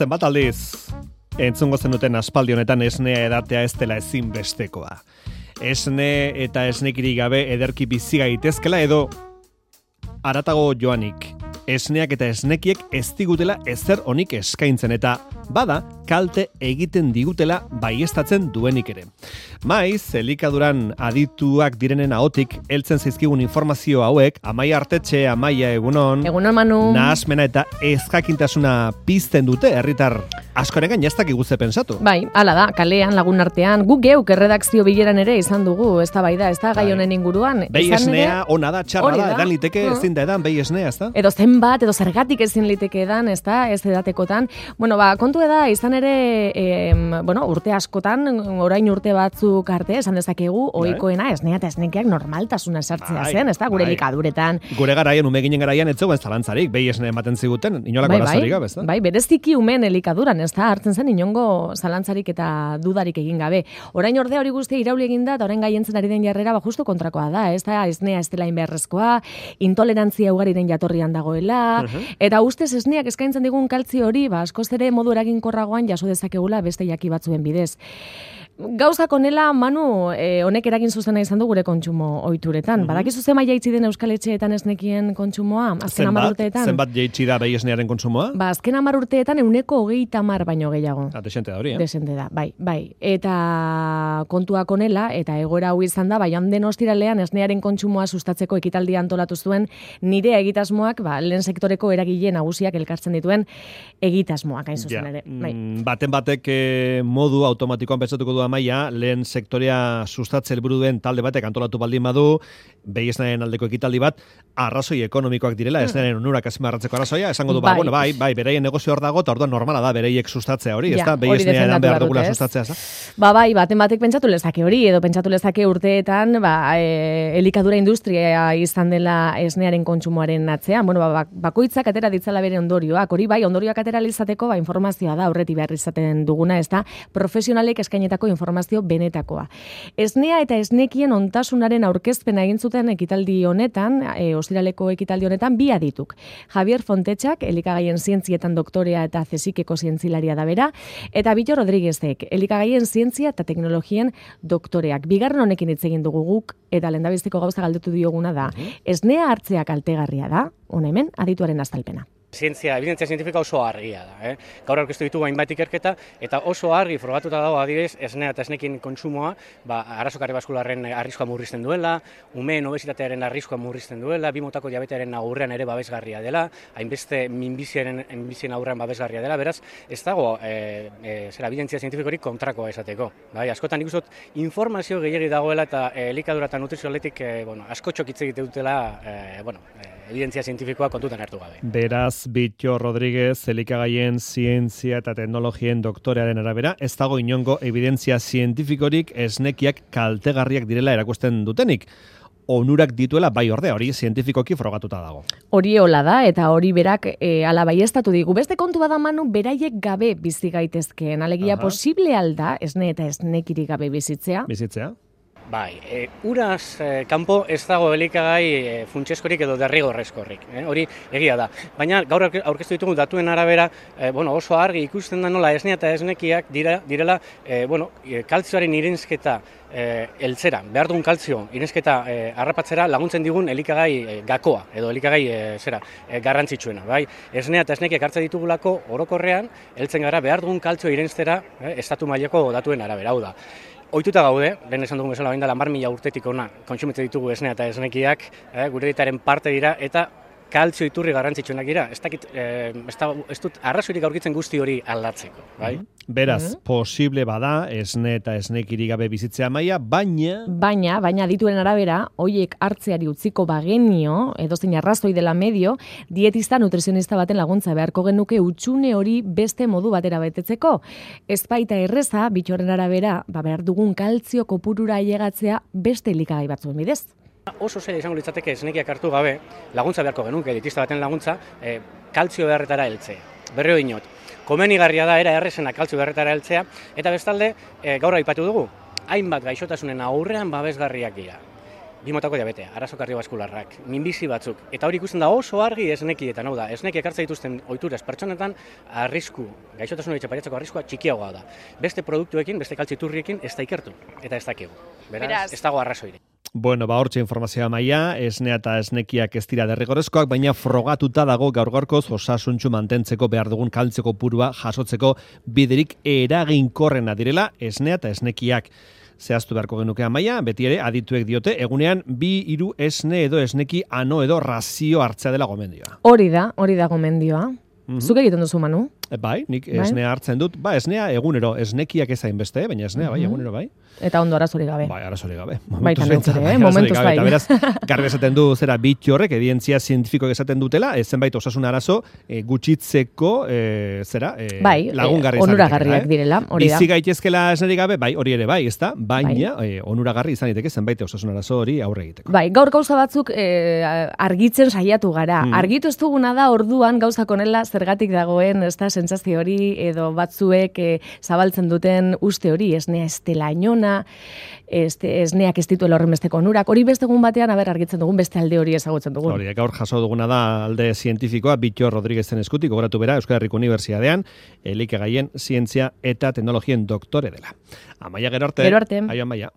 zenbat aldiz entzungo zenuten aspaldi honetan esnea edatea ez dela ezinbestekoa. Esne eta esnekirik gabe ederki bizi gaitezkela edo haratago joanik. Esneak eta esnekiek ez digutela ezer onik eskaintzen eta bada kalte egiten digutela baieztatzen duenik ere. Maiz, elikaduran adituak direnen ahotik heltzen zaizkigun informazio hauek, Amaia Artetxe, Amaia egunon. Egunon Manu. Nahasmena eta ezjakintasuna pizten dute herritar askorengan ez dakigu ze pensatu. Bai, hala da, kalean lagun artean, guk geuk erredakzio bileran ere izan dugu, eztabaida, ez da gai honen inguruan. Behi esnea, ona da, txarra da, edan liteke, ezin da edan, behi esnea, ez da? Edo zenbat, edo zergatik ezin liteke edan, ez da, ez edatekotan. Bueno, kontu da, izan ere, urte askotan, orain urte batzuk arte, esan dezakegu, ohikoena esnea eta esnekiak normaltasuna sartzea zen, ez da, gure likaduretan. Gure garaian, ume ginen garaian, ez zegoen zalantzarik, behi esnea ematen ziguten, inolako arazorik gabe, ez da? Bai, bereziki umen elikaduran, ez da, hartzen zen inongo zalantzarik eta dudarik egin gabe. Orain ordea hori guztia irauli egin da, eta orain gaientzen ari den jarrera, justu kontrakoa da, ez da, esnea ez dela inbeharrezkoa, intolerantzia ugariren jatorrian dagoela, eta ustez esneak eskaintzen digun kaltzio hori, askoz ere modu eraginkorragoan jaso dezakegula beste jaki batzuen bidez. Gauzak honela, Manu, honek eragin zuzena izan du gure kontsumo ohituretan. Badakizu zenbat jaitsi den Euskal Etxeetan esnekien kontsumoa? Azken 10 urteetan. Zenbat jaitsi da behi esnearen kontsumoa? Azken 10 urteetan 130 baino gehiago. Desente da hori, Desente da, bai. Eta kontuak honela, eta egoera hau izan da, joan den ostiralean esnearen kontsumoa sustatzeko ekitaldia antolatu zuen nire egitasmoak, lehen sektoreko eragile nagusiak elkartzen dituen egitasmoak hain zuzen ere. Baten batek modu automatikoan pentsatuko du Amaia, lehen sektorea sustatze helburu duen talde batek antolatu baldin badu, behi esnearen aldeko ekitaldi bat, arrazoi ekonomikoak direla, esnearen onurak azpimarratzeko arrazoia, esango du, bai, beraien negozio hor dago, eta orduan normala da bereiek sustatzea hori, ez da, behi esnea eran behar dugula sustatzea, ez da? Bai, baten batek pentsatu lezake hori, edo pentsatu lezake urteetan, elikadura industria izan dela esnearen kontsumoaren atzean, bakoitzak atera ditzala bere ondorioak, hori bai, ondorioak atera izateko, informazioa da, aurretik behar izaten duguna, ez da, profesionalek eskainetako informazio benetakoa. Esnea eta esnekien ontasunaren aurkezpena egin zuten ekitaldi honetan, ostiraleko ekitaldi honetan, bi adituk. Javier Fontetxak, elikagaien zientzietan doktorea eta CSIC-eko zientzilaria da bera, eta Bitxo Rodriguezek, elikagaien zientzia eta teknologien doktoreak. Bigarren honekin hitz egin dugu guk, eta lehendabiziko gauza galdetu dioguna da. Esnea hartzea kaltegarria da, hona hemen, adituaren azalpena. Ebidentzia zientifika oso argia da. Gaur aurkeztu ditugu hainbat ikerketa, eta oso argi frogatuta dago adibidez esnea eta esnekin kontsumoa, arazo kardiobaskularren arriskua murrizten duela, umeen obesitatearen arriskua murrizten duela, bi motako diabetearen aurrean ere babesgarria dela, hainbeste minbizien aurrean babesgarria dela, beraz, ez dago ebidentzia zientifikorik kontrakoa esateko. Askotan nik uste informazio gehiegi dagoela eta elikadura eta nutrizioaletik askotxok hitz egite dutela evidentzia zientifikoa kontutan hartu gabe. Beraz, Bitxo Rodriguez, elikagaien zientzia eta teknologien doktorearen arabera, ez dago inongo evidentzia zientifikorik esnekiak kaltegarriak direla erakusten dutenik. Onurak dituela bai ordea, hori zientifikoki frogatuta dago. Hori hola da, eta hori berak ala baieztatu digu. Beste kontu bada Manu, beraiek gabe bizi gaitezkeen. Alegia posible alda, esne eta esnekirik gabe bizitzea? Bizitzea? Bai, uraz kanpo ez dago elikagai funtseskorik edo derrigorrezkorik, hori egia da. Baina gaur aurkeztu ditugu datuen arabera, oso argi ikusten da nola esnea eta esnekiak direla, kaltzioaren irensketa eltzera, behar dugun kaltzio irensketa harrapatzera laguntzen digun elikagai gakoa, edo elikagai garrantzitsuena. Bai? Esnea eta esnekiak hartzen ditugulako orokorrean, heltzen gara behar dugun kaltzio irenstera estatu mailako datuen arabera, hau da. Ohituta gaude, lehen esan dugun bezala, 10.000 urtetik ona kontsumitzen ditugu esnea eta esnekiak, gure dietaren parte dira, eta kaltzio iturri garrantzitsuenak dira. Ez dut arrazoirik aurkitzen guzti hori aldatzeko. Bai? Beraz, posible bada esne eta esnekirik gabe bizitzea Amaia, baina adituen arabera, hoiek hartzeari utziko bagenio, edozein arrazoi dela medio, dietista nutrizionista baten laguntza beharko genuke hutsune hori beste modu batera betetzeko. Ez baita erreza, Bitxoren arabera, behar dugun kaltzio kopurura ailegatzea beste elikagai batzuen bidez. Oso zaila izango litzateke esnekiak hartu gabe, laguntza beharko genuke, dietista baten laguntza, kaltzio beharretara heltzea. Berriro dinot, komenigarria da era errezena kaltzio beharretara heltzea, eta bestalde, gaur aipatu dugu, hainbat gaixotasunen aurrean babesgarriak dira. bi motako diabetea, arazo kardiobaskularrak, minbizi batzuk, eta hori ikusten da oso argi esnekietan, hau da, esnek ekartza dituzten ohituraz pertsonetan arrisku, gaixotasun hori txaparitzako arriskua txikiagoa da. Beste produktuekin, beste kaltziturriekin ez da ikertu, eta ez dakigu. Beraz, ez dago arrazoirik. Bueno, hortxe informazioa maila, esnea eta esnekiak ez dira derrigorrezkoak, baina frogatuta dago gaur-gaurkoz osasuntsu mantentzeko behar dugun kaltzeko purua jasotzeko biderik eraginkorrena direla esnea eta esnekiak. Zehaztu beharko genuke amaia, beti ere adituek diote, egunean 2-3 esne edo esneki ano edo razio hartzea dela gomendioa. Hori da gomendioa. Zuk egiten duzu, Manu? Bai, nik esnea hartzen dut. Esnea egunero, esnekiak ezain beste, baina esnea bai, egunero bai. Eta ondo arazorik gabe. Bai, arazorik gabe. Baita neukere, momentuz bai. Eta beraz, garbi esaten du zera bitxo horrek, evidentzia zientifikoak esaten dutela, zenbait osasun arazo gutxitzeko lagungarri onuragarriak direla, hori da. Bizi gaitezkela esnerik gabe, bai, hori ere bai, ezta? Baina onuragarri izan daiteke zenbait osasun arazo hori aurre egiteko. Bai, gaur gauza batzuk argitzen saiatu gara. Argitu ez duguna da orduan gauzak honela zergatik dagoen, ezta, sentsazio hori edo batzuek zabaltzen duten uste hori, esnea ez dela inona, esneak ez dituela horrenbesteko onurak, hori beste egun batean argitzen dugun beste alde hori ezagutzen dugun. Hori, gaur jaso duguna da alde zientifikoa, Bitxo Rodriguezen eskutik, gogoratu bera, Euskal Herriko Unibertsitatean, elikagaien zientzia eta teknologien doktore dela. Amaia, gero arte. Gero arte. Aio, Amaia.